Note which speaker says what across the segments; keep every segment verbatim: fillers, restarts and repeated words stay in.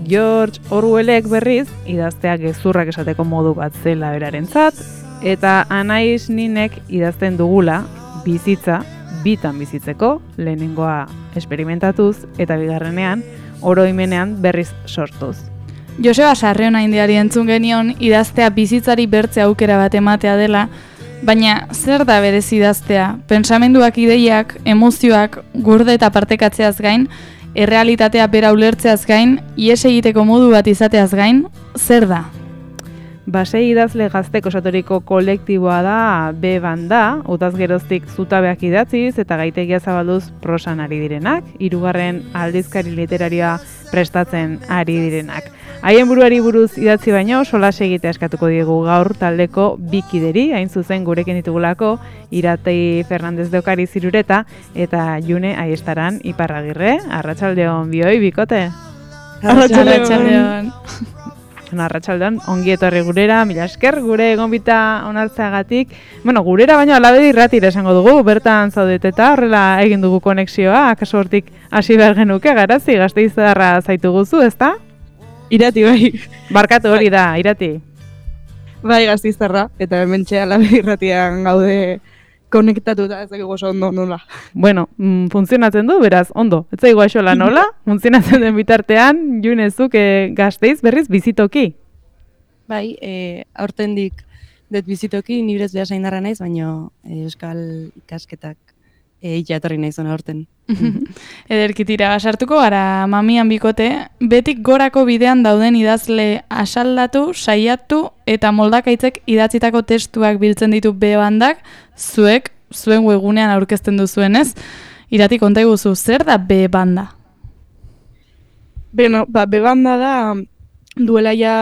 Speaker 1: George Orwellek berriz idaztea gezurrak esateko modu bat zela berarentzat, eta Anais Ninek idazten dugula bizitza bitan bizitzeko, lehenengoa esperimentatuz eta bigarrenean oroimenean berriz sortuz.
Speaker 2: Joseba Sarriona indiari entzun genion idaztea bizitzari bertze aukera bat ematea dela, baina zer da berez idaztea? Pentsamenduak, ideiak, emozioak, gurde eta partekatzeaz gain, errealitatea bera ulertzeaz gain, ihes egiteko modu bat izateaz gain, zer da?
Speaker 1: Basei idazle gazteko osaturiko kolektiboa da B banda, utaz geroztik zutabeak idatziz eta gaitegia zabalduz prosan ari direnak, hirugarren aldizkari literarioa prestatzen ari direnak. Haien buruari buruz idatzi baino, solas egitea eskatuko diegu gaur taldeko bikideri, hain zuzen gurekin ditugulako, Iratei Fernandez de Ocariz Irureta eta June Aiestaran Iparragirre. Arratsaldeon bioi, bikote?
Speaker 2: Arratsaldeon.
Speaker 1: Arratsaldeon, ongi etorri gurera, mila esker, gure gonbita onartzeagatik. Bueno, gurera baino alabedi irratira esango dugu, bertan zaudeteta, horrela egin dugu konexioa, akaso hortik hasi behar genuke, Garazi, Gasteiztarra zaitu guzu, ezta?
Speaker 3: Irati, bai.
Speaker 1: Barkatu hori da, Irati.
Speaker 3: Bai, Gasteiztarra, eta hementxe alabedi irratian gaude konektatuta, ez dakigu oso ondo nola.
Speaker 1: Bueno, mm, funtzionatzen du, beraz, ondo. Ez zaigu aixola nola, funtzionatzen den bitartean, Junezuk e, Gasteiz berriz bizitoki.
Speaker 4: Bai, e, aurtendik dut bizitoki, nibrez behasaindarra naiz, baina e, euskal ikasketak e, ikatorri naiz ona aurten.
Speaker 2: Ederkitira, sartuko gara mamian bikote, betik gorako bidean dauden idazle asaldatu, saiatu eta moldakaitzek idatzitako testuak biltzen ditu B bandak, zuek, zuen webgunean aurkezten duzuenez. Irati, konta iguzu, zer da B banda?
Speaker 3: Beno, ba, B banda da duela ja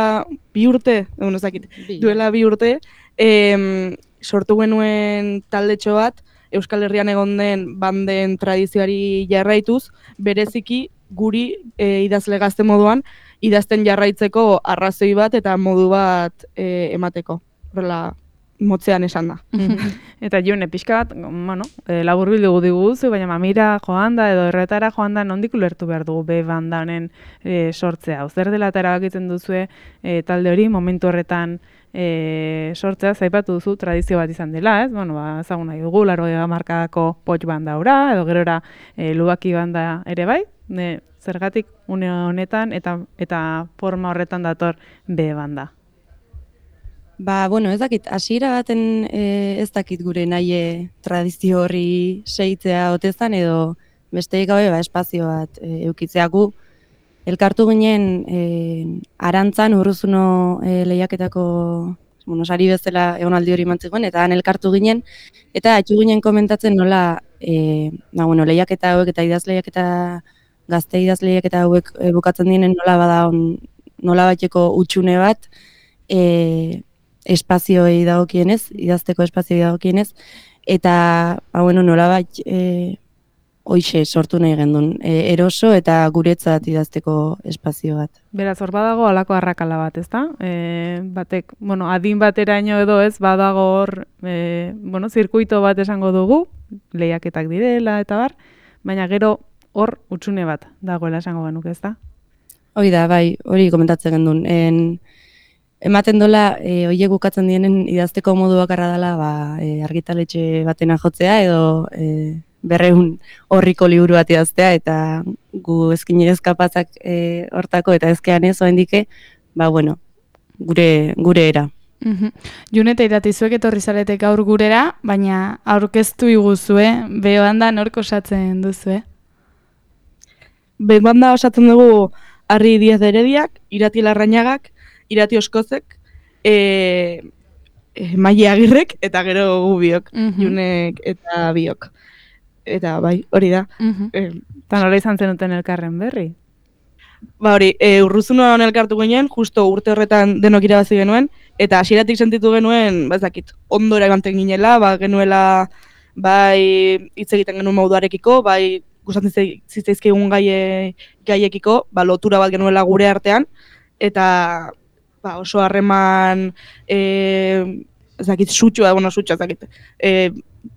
Speaker 3: bi urte, egun ezakit, duela bi urte, em, sortu genuen taldetxo bat, Euskal Herrian egon den banden tradizioari jarraituz, bereziki guri e, idazle gazte moduan, idazten jarraitzeko arrazoi bat eta modu bat e, emateko. Horrela, motzean esan da.
Speaker 1: Eta June, pixka bat, bueno, e, laburbildu diguzu, baina mamira joan da edo erretara joan da nondik ulertu behar dugu B banda honen e, sortzea. Zer dela eta erabakitzen duzue e, talde hori momentu horretan E, sortzea, zaipatu duzu tradizio bat izan dela, ez? Bueno, ba, ezagun nahi dugu, laurogei hamarkadako potx banda ora, edo gerora e, lubaki banda ere bai, ne, zergatik une honetan eta eta forma horretan dator B banda.
Speaker 4: Ba, bueno, ez dakit, hasiera baten e, ez dakit gure nahi tradizio horri segitzea otezan, edo besteik gabe ba, espazio bat e, eukitzeagu. Elkartu ginen e, Arantzan Urruzuno e, lehiaketako bueno, sari bezala egonaldi hori mantzikoen, eta han elkartu ginen, eta atxu ginen komentatzen nola e, ba, bueno, lehiaketa hauek eta idaz lehiaketa, gazte idaz lehiaketa hauek e, bukatzen dienen nola bada on, nola bateko utxune bat e, espazioei dagokienez, idazteko espazioei dagokienez, eta ba, bueno, nola bat e, hoixe sortu nahi gendun, e, eroso eta guretzat idazteko espazio bat.
Speaker 1: Beraz, hor badago halako arrakala bat, ezta? E, batek, bueno, adin bateraino edo ez, badago hor, e, bueno, zirkuito bat esango dugu, lehiaketak direla eta bar, baina gero hor utxune bat dagoela esango genuke, ezta?
Speaker 4: Hoi da, bai, hori komentatzen gendun. En, ematen dola, e, hoiek bukatzen dienen idazteko modu bakarra dela, ba, e, argitaletxe batena jotzea edo e, berreun horriko liburu bat idaztea, eta gu ezkinez kapazak e, hortako eta ezkean ez oendike, ba bueno, gure, gure era.
Speaker 2: Uh-huh. June eta Irati, zuek etorri zarete gaur gurera, baina aurkeztu iguzue, B banda nork osatzen duzue?
Speaker 3: B banda osatzen dugu Arri Diez de Herediak, Irati Larrañagak, Irati Oskozek, e, e, Maile Agirrek, eta gero gu biok, uh-huh. Junek eta biok. Eta bai, hori da.
Speaker 2: Uh-huh.
Speaker 3: E,
Speaker 1: eta nola izan zenuten elkarren berri?
Speaker 3: Ba hori, e, Urruzunoan elkartu ginen, justo urte horretan denok irabazi genuen, eta hasieratik sentitu genuen, ba ez dakit, ondora emanten ginela, ba genuela, bai hitz egiten genuen moduarekiko, bai gustatzen zitzaizkigun gaie, gaiekiko, ba lotura bat genuela gure artean, eta ba, oso harreman, e, ez dakit, sutxua, bueno, sutxua, ez dakit, e,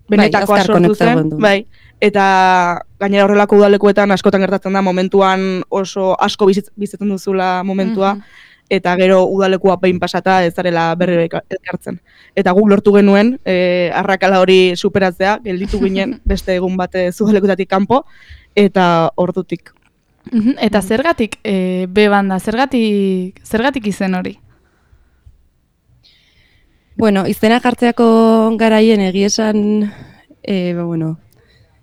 Speaker 3: benetakoa sortu zen, bai, eta gainera horrelako udalekuetan askotan gertatzen da momentuan oso asko bizit, bizitzen duzula momentua, mm-hmm. eta gero udalekua behin pasata ez zarela berri elkartzen. Eta guk lortu genuen, e, arrakala hori superatzea, gelditu ginen beste egun bate udalekutatik kanpo, eta ordutik.
Speaker 2: Mm-hmm. Eta zergatik e, B banda, zergatik, zergatik izen hori?
Speaker 4: Bueno, izena jartzeako garaien egiesan, e, bueno,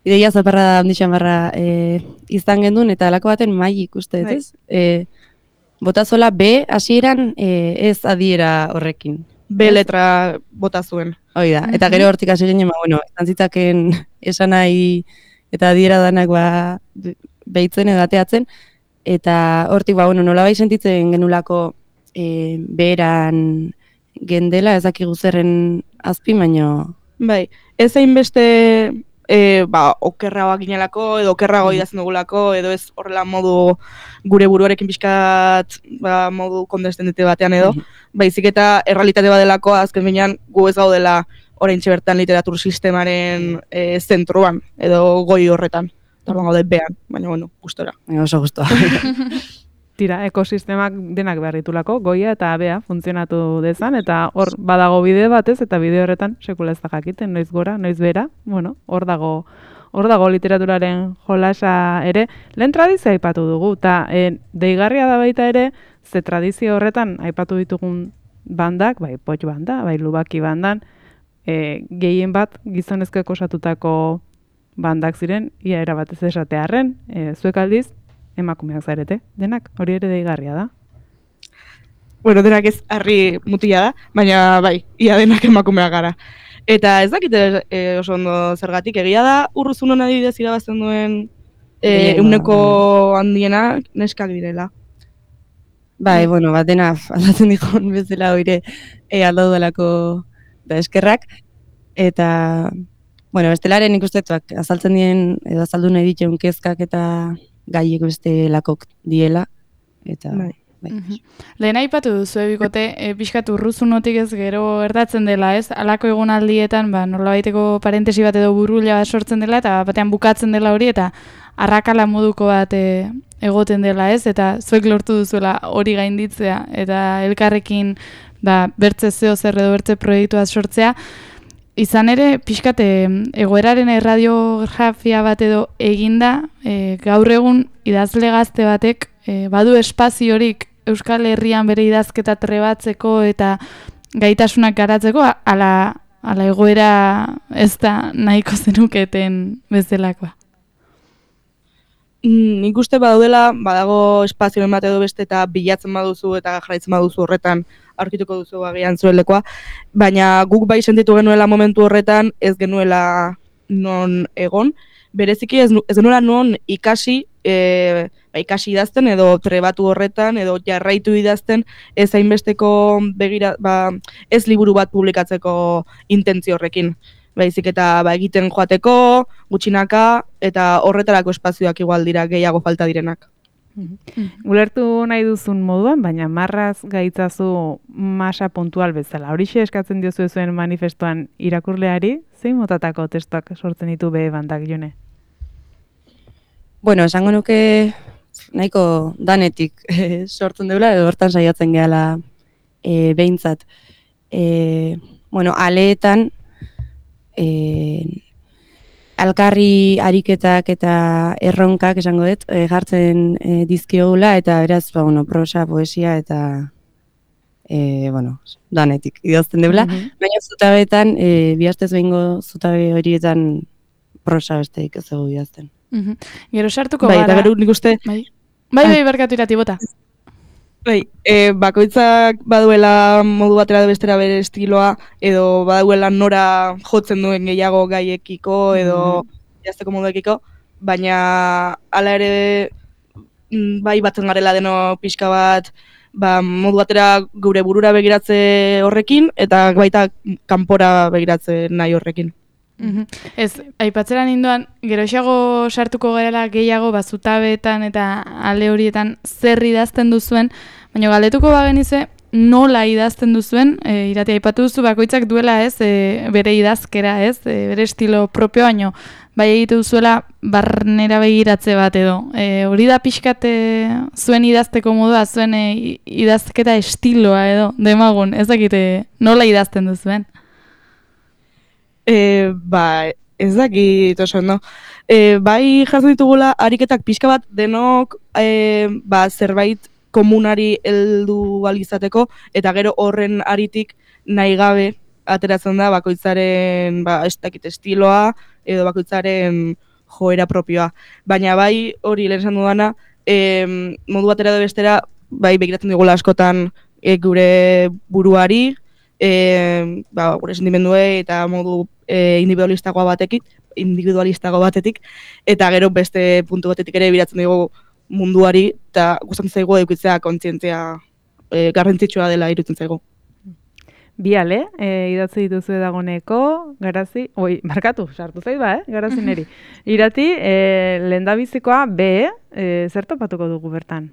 Speaker 4: ideia zaparra da handixan barra e, izan gendun, eta alako baten maik uste, ez? E, botazola B hasieran e, ez adiera horrekin.
Speaker 3: B letra bota zuen.
Speaker 4: Hoi da, eta gero hortik hasi ginen, bueno, izan zitzaken esan nahi eta adiera danak ba, behitzen edateatzen, eta hortik, ba, bueno, nola bai sentitzen genulako e, beheran gendela, ez dakigu zerren azpi, baino...
Speaker 3: Bai, ez hainbeste e, ba, okerragoak ginelako, edo okerrago idazten dugulako, edo ez horrela modu gure buruarekin pixkat ba, modu kondestendete batean edo, baizik eta errealitate badelako azken binean gu ez gaudela oraintxe bertan literatur sistemaren e, zentruan, edo goi horretan. Eta orduan gaude bean, baina bueno, gustora.
Speaker 4: Oso gustoa.
Speaker 1: Tira, ekosistemak denak behar ditulako, goia eta bea funtzionatu dezan, eta hor badago bide batez, eta bide horretan sekula ez da jakiten, noiz gora, noiz bera, bueno, hor dago, hor dago literaturaren jolasa ere, lehen tradizioa aipatu dugu, eta e, deigarria da baita ere, ze tradizio horretan aipatu ditugun bandak, bai potx banda, bai lubaki bandan, e, gehien bat gizonezkoek osatutako bandak ziren, ia erabatez esatearren, e, zuek aldiz, emakumeak zarete, denak, hori ere deigarria da.
Speaker 3: Bueno, denak ez harri mutila da, baina bai, ia denak emakumeak gara. Eta ez dakite e, oso ondo zergatik, egia da Urruzunon adibidez irabazten duen e, euneko handiena neskak direla.
Speaker 4: Bai, bueno, bat dena aldatzen dikon bezala hoire e, aldaudalako da eskerrak. Eta, bueno, bestelaren ikustetuak azaltzen dien, edo azaldu nahi dituen kezkak eta gaiek beste lakok diela, eta... Bai. Bai.
Speaker 2: Mm-hmm. Lehen aipatu duzu ebikote, e, pixkat Urruzunotik ez gero erdatzen dela, ez? Halako egonaldietan, ba, nolabaiteko parentesi bat edo burula bat sortzen dela, eta batean bukatzen dela hori, eta arrakala moduko bat e, egoten dela, ez? Eta zuek lortu duzuela hori gainditzea, eta elkarrekin ba, bertze zeo zer edo bertze proiektu bat sortzea. Izan ere, pixkat egoeraren erradiografia bat edo eginda, e, gaur egun idazle gazte batek e, badu espaziorik Euskal Herrian bere idazketa trebatzeko eta gaitasunak garatzeko, ala, ala egoera ez da nahiko zenuketen bezalakoa.
Speaker 3: Mm, nik uste badaudela, badago espazioen bat edo beste eta bilatzen baduzu eta jarraitzen baduzu horretan aurkituko duzu agian zuen lekoa, baina guk bai sentitu genuela momentu horretan ez genuela non egon, bereziki ez, ez genuela non ikasi, e, ba, ikasi idazten edo trebatu horretan edo jarraitu idazten ez hainbesteko begira, ba, ez liburu bat publikatzeko intentzio horrekin. Baizik eta ba, egiten joateko, gutxinaka, eta horretarako espazioak igual dira gehiago falta direnak.
Speaker 1: Mm-hmm. Ulertu nahi duzun moduan, baina marraz gaitzazu masa puntual bezala. Horixe eskatzen diozu zuen manifestuan irakurleari, zein motatako testuak sortzen ditu be bandak, Jone?
Speaker 4: Bueno, esango nuke nahiko danetik eh, sortzen deula, edo hortan saiatzen gehala eh, behintzat. Eh, bueno, aleetan, E, alkarri ariketak eta erronkak esango dut e, jartzen e, dizkiogula eta beraz ba, bueno, prosa, poesia eta e, bueno, danetik idazten deula, mm-hmm. baina zutabeetan e, bihaztez behingo zutabe horietan prosa besteik ez dugu idazten.
Speaker 2: Mm-hmm. Gero sartuko
Speaker 3: bai,
Speaker 2: gara.
Speaker 3: Bai, eta gero nik uste...
Speaker 2: Bai, bai, bai barkatu irati bota.
Speaker 3: Bai, e, bakoitzak baduela modu batera bestera bere estiloa, edo baduela nora jotzen duen gehiago gaiekiko, edo mm-hmm. jazteko moduekiko, baina hala ere bai batzen garela deno pixka bat, ba, modu batera gure burura begiratze horrekin, eta baita kanpora begiratze nahi horrekin.
Speaker 2: Mm-hmm. Ez, aipatzeran indoan, geroxeago sartuko garela gehiago bazutabeetan eta ale horietan zer idazten duzuen, baina galdetuko bagenize, nola idazten duzuen, e, Irati aipatu duzu bakoitzak duela ez, e, bere idazkera ez, e, bere estilo propio, baino bai egitu duzuela barnera begiratze bat edo. E, hori da pixkat e, zuen idazteko modua, zuen e, idazketa estiloa edo, demagun, ez dakite nola idazten duzuen?
Speaker 3: E, ba, ez dakit oso ondo. E, bai jaso ditugula ariketak pixka bat denok e, ba, zerbait komunari heldu ahal izateko eta gero horren aritik nahi gabe ateratzen da bakoitzaren ba, ez dakit estiloa edo bakoitzaren joera propioa. Baina bai hori lehen esan dudana, e, modu batera edo bestera bai begiratzen digula askotan e, gure buruari, e, ba, gure sentimenduei eta modu e, individualistagoa batekin, individualistago batetik, eta gero beste puntu batetik ere biratzen dugu munduari, eta gustatzen zaigu edukitzea kontzientzia e, garrantzitsua dela iruditzen zaigu.
Speaker 1: Bi ale, e, idatzi dituzu dagoneko, Garazi, oi, markatu, sartu zait ba, eh? Garazi neri. Irati, e, lehendabizikoa B, e, zer topatuko dugu bertan?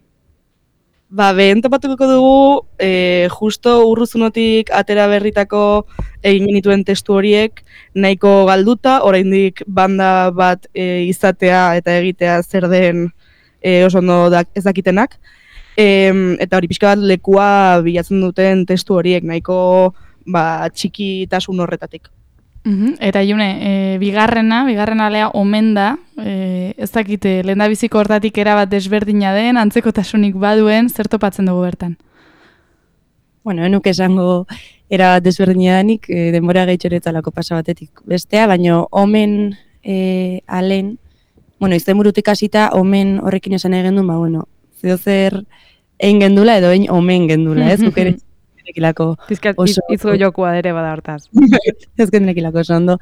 Speaker 3: Ba, behen topatuko dugu, e, justo urruzunotik atera berritako egin genituen testu horiek nahiko galduta, oraindik banda bat e, izatea eta egitea zer den e, oso ondo ez dakitenak. E, eta hori pixka bat lekua bilatzen duten testu horiek nahiko ba, txikitasun horretatik.
Speaker 2: Uhum. Eta June, e, bigarrena, bigarren alea omen da, e, ez dakite, lehendabiziko hortatik erabat desberdina den, antzekotasunik baduen, zer topatzen dugu bertan?
Speaker 4: Bueno, enuk esango erabat desberdina denik, e, denbora gehitxoretzalako pasa batetik bestea, baino omen e, alen, bueno, izten burutik hasita omen horrekin esan egin duen, ba, bueno, zeo zer egin gendula edo egin omen gendula, ez? Guk ere nekilako oso...
Speaker 1: Izgo jokua ere bada hortaz.
Speaker 4: Ez nekilako oso ondo.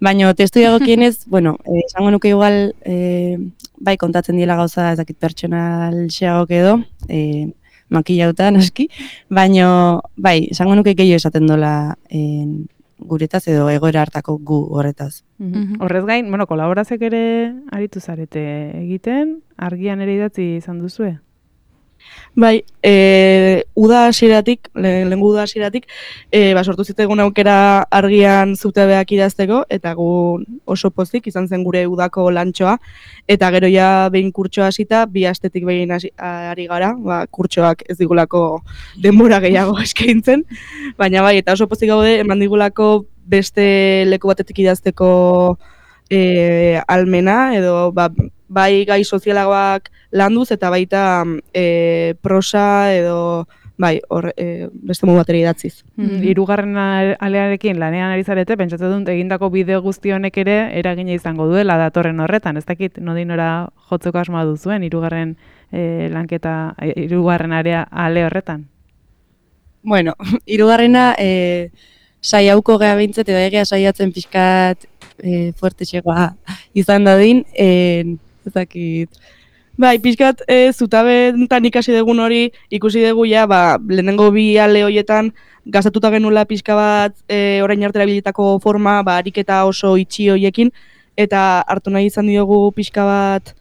Speaker 4: Baina testu dagokienez, bueno, eh, esango nuke igual, eh, bai kontatzen diela gauza ez dakit pertsonal xeagok edo, eh, makillauta naski, baina bai, esango nuke gehiago esaten dola eh, guretaz edo egoera hartako gu horretaz.
Speaker 1: Mm-hmm. Horrez gain, bueno, kolaborazek ere aritu zarete egiten, argian ere idatzi izan duzue?
Speaker 3: Bai, e, uda hasieratik, lehengo uda hasieratik, e, ba, sortu zitegun aukera argian zutebeak idazteko, eta gu oso pozik izan zen gure udako lantxoa, eta gero ja behin kurtsoa hasita, bi astetik behin hasi, ari gara, ba, kurtsoak ez digulako denbora gehiago eskaintzen, baina bai, eta oso pozik gaude, eman digulako beste leku batetik idazteko e, almena, edo ba, bai gai sozialagoak landuz eta baita e, prosa edo bai, hor, e, beste modu batera idatziz.
Speaker 1: Mm, hirugarren alearekin lanean ari zarete, pentsatzen dut egindako bideo guzti honek ere eragina izango duela datorren horretan. Ez dakit nodinora jotzeko asmoa duzuen hirugarren e, lanketa, hirugarren area ale horretan.
Speaker 4: Bueno, hirugarrena e, saiauko gea behintzet edo egia saiatzen pixkat e, fuertexegoa izan dadin, e, ez dakit.
Speaker 3: Bai, pixkat e, zutabentan ikasi dugun hori, ikusi dugu ja, ba, lehenengo bi ale horietan gazatuta genula pixka bat e, orain arte erabilitako forma, ba, ariketa oso itxi horiekin, eta hartu nahi izan diogu pixka bat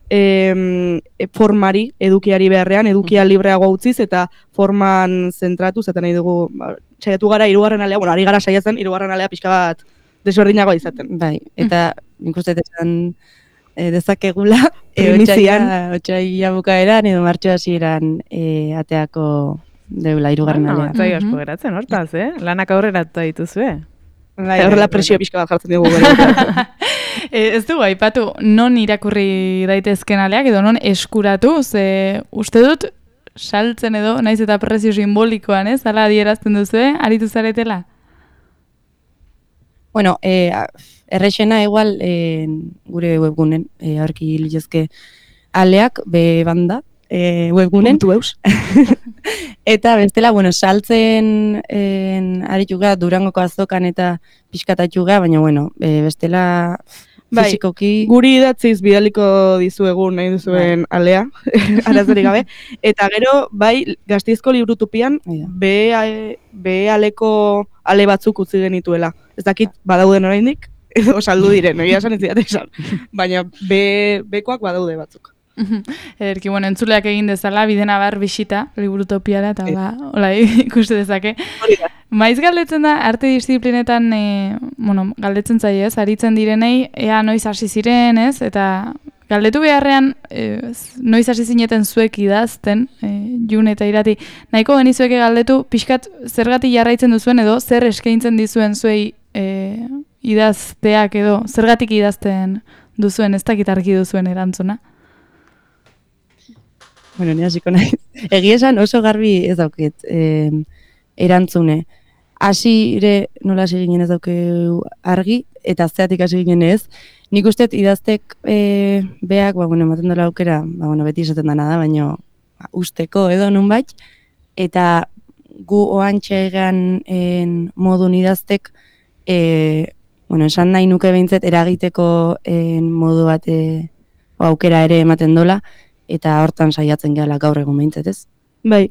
Speaker 3: e, formari, edukiari beharrean, edukia libreago utziz, eta forman zentratuz, eta nahi dugu, ba, saiatu gara hirugarren alea, bueno, ari gara saiatzen hirugarren alea pixka bat desberdinagoa izaten.
Speaker 4: Bai, eta nik uste esan e, dezakegula,
Speaker 3: primizian,
Speaker 4: otsaila bukaeran edo martxo hasieran e, ateako deula hirugarren alea.
Speaker 1: Zai asko geratzen hortaz, eh? Lanak aurrera dituzue.
Speaker 3: Bai, horrela presio pixka bat jartzen dugu gara.
Speaker 2: Ez dugu aipatu non irakurri daitezken aleak edo non eskuratu, ze uste dut saltzen edo, naiz eta prezio simbolikoan, ez? Hala adierazten duzue, aritu zaretela?
Speaker 4: Bueno, eh, errexena igual eh, gure webgunen, eh, aurki litezke aleak, be banda, eh, webgunen.
Speaker 3: Puntu eus.
Speaker 4: Eta bestela, bueno, saltzen eh, arituga Durangoko azokan eta pixkatatxuga, baina bueno, eh, bestela fizikoki...
Speaker 3: Bai, guri idatziz bidaliko dizuegun nahi duzuen bai. Alea, arazorik gabe. Eta gero, bai, Gasteizko Librutupian, be, be aleko ale batzuk utzi genituela. Ez dakit badauden oraindik, edo saldu diren, egia esan ez diat esan. Baina be, bekoak badaude batzuk.
Speaker 2: Ederki, bueno, entzuleak egin dezala, bidena bar bisita, liburutopiara, eta ba, hola, ikuste dezake. Maiz galdetzen da, arte disiplinetan, e, bueno, galdetzen zaio, ez, aritzen direnei, ea noiz hasi ziren, ez, eta galdetu beharrean, e, noiz hasi zineten zuek idazten, e, Jun eta Irati, nahiko genizueke galdetu, pixkat zergatik jarraitzen duzuen edo, zer eskaintzen dizuen zuei e, idazteak edo, zergatik idazten duzuen, ez dakit argi duzuen erantzuna.
Speaker 4: Bueno, ni hasiko naiz. Egia esan oso garbi ez dauket eh, erantzune. Hasire nola hasi ginen ez dauke argi, eta zeatik hasi ginen ez. Nik uste idaztek eh, beak, ba, bueno, ematen dela aukera, ba, bueno, beti esaten dana da, baina ba, usteko edo nunbait, eta gu oantxe egan en, modun idaztek, eh, bueno, esan nahi nuke behintzet eragiteko en, modu bat eh, aukera ere ematen dola, eta hortan saiatzen gehala gaur egun behintzet, ez?
Speaker 3: Bai,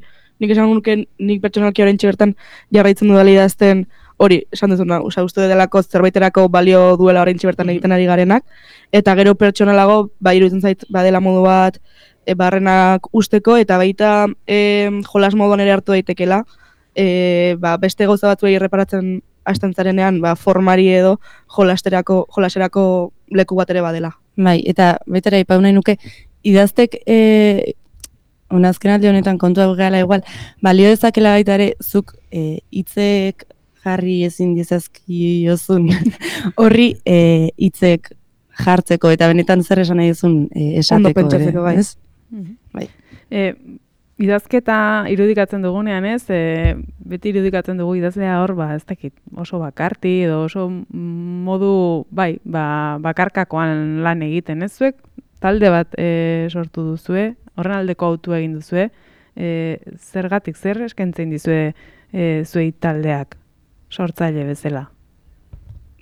Speaker 3: nik esan nuke nik pertsonalki oraintxe bertan jarraitzen dudala idazten hori, esan duzuna, osea, uste delako zerbaiterako balio duela oraintxe bertan egiten ari garenak, eta gero pertsonalago, ba, iruditzen zait, badela modu bat, e, barrenak usteko, eta baita e, jolas moduan ere hartu daitekela, e, ba, beste gauza batzuei erreparatzen hasten zarenean, ba, formari edo jolasterako, jolaserako leku bat ere badela.
Speaker 4: Bai, eta betera ipau nahi nuke, idaztek, e, unazken alde honetan kontua gala igual, balio dezakela baita ere, zuk e, hitzek jarri ezin dizazkiozun horri e, hitzek jartzeko, eta benetan zer esan nahi duzun e, esateko ere,
Speaker 3: bai.
Speaker 4: Ez?
Speaker 3: Bai.
Speaker 1: E, idazketa irudikatzen dugunean, ez? E, beti irudikatzen dugu idazlea hor, ba, ez dakit, oso bakarti edo oso modu, bai, ba, bakarkakoan lan egiten, ez zuek? Talde bat e, sortu duzue, horren aldeko autu egin duzue, e, zergatik, zer eskentzen dizue e, zuei taldeak sortzaile bezala?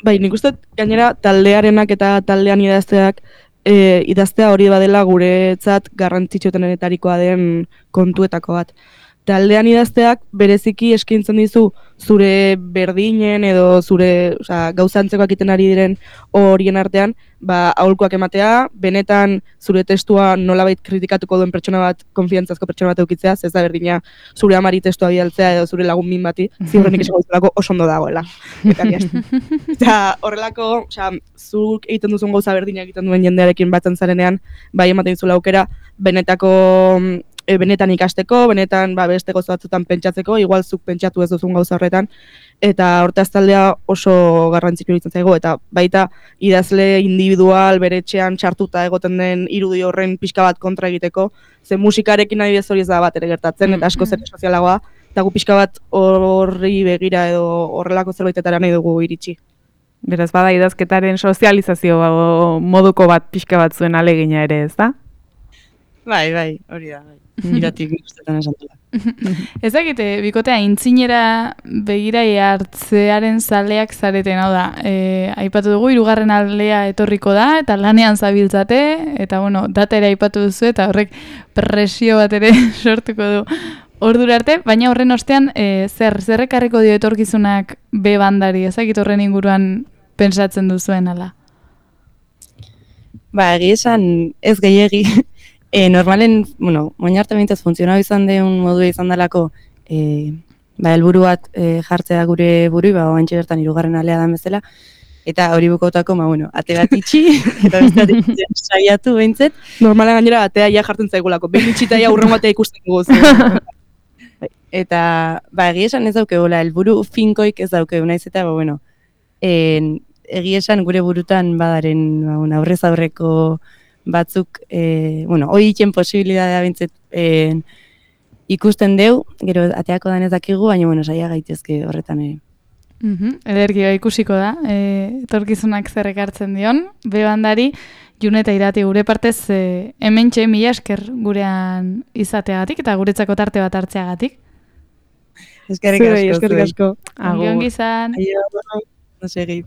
Speaker 3: Bai, nik uste gainera taldearenak eta taldean idazteak e, idaztea hori badela guretzat garrantzitsuenetarikoa den kontuetako bat. Taldean idazteak bereziki eskaintzen dizu zure berdinen edo zure, osea, gauza antzekoak egiten ari diren horien artean, ba, aholkuak ematea, benetan zure testua nolabait kritikatuko duen pertsona bat, konfiantzazko pertsona bat eukitzea, ez da berdina zure amari testua bidaltzea edo zure lagun min bati, ziurrenik esango duzulako oso ondo dagoela. Eta horrelako, osea, zuk egiten duzun gauza berdina egiten duen jendearekin batzen zarenean, bai ematen dizula aukera, benetako E, benetan ikasteko, benetan ba, beste gauza batzutan pentsatzeko, igual zuk pentsatu ez duzun gauza horretan, eta hortaz taldea oso garrantzitsua iruditzen zaigu, eta baita idazle individual bere etxean txartuta egoten den irudi horren pixka bat kontra egiteko, ze musikarekin adibidez hori ez da bat ere gertatzen, eta asko zer sozialagoa, eta gu pixka bat horri begira edo horrelako zerbaitetara nahi dugu iritsi.
Speaker 1: Beraz, bada idazketaren sozializazio moduko bat pixka bat zuen alegina ere, ez da?
Speaker 4: Bai, bai, hori da, bai. Iratik ikustetan esan dela.
Speaker 2: Ez dakite, bikotea, intzinera begirai hartzearen zaleak zareten, hau da, e, aipatu dugu, hirugarren aldea etorriko da, eta lanean zabiltzate, eta bueno, data ere aipatu duzu, eta horrek presio bat ere sortuko du ordura arte, baina horren ostean, e, zer, zerrekarriko dio etorkizunak B bandari, ez dakit horren inguruan pentsatzen duzuen, ala?
Speaker 4: Ba, egi esan ez gehiegi, E, normalen, bueno, moin arte behintzat funtzionau izan deun modua izan dalako, e, ba, helburu bat e, jartzea gure burui, ba, oantxe bertan hirugarren alea da bezala, eta hori bukautako, ba, bueno, ate bat itxi, eta beste bat itxi saiatu behintzet.
Speaker 3: Normalen gainera atea ja jartzen zaigulako, behin itxita ja urren batea ikusten dugu.
Speaker 4: Eta, ba, egia esan ez dauke, hola, helburu finkoik ez dauke, naiz eta, ba, bueno, en, egia esan gure burutan badaren, ba, bueno, aurrez aurreko batzuk, e, bueno, hoi itxen posibilidadea bintzet e, ikusten deu, gero ateako dan ez dakigu, baina, bueno, saia gaitezke horretan ere.
Speaker 2: Mm-hmm. Ederki ikusiko da, e, etorkizunak zerrek hartzen dion, B bandari, Jun eta Irati gure partez, e, hementxe mila esker gurean izateagatik, eta guretzako tarte bat hartzeagatik.
Speaker 4: Eskerrik asko.
Speaker 3: Eskerrik asko.
Speaker 2: Ongi ongi izan.
Speaker 4: Aio, no segi.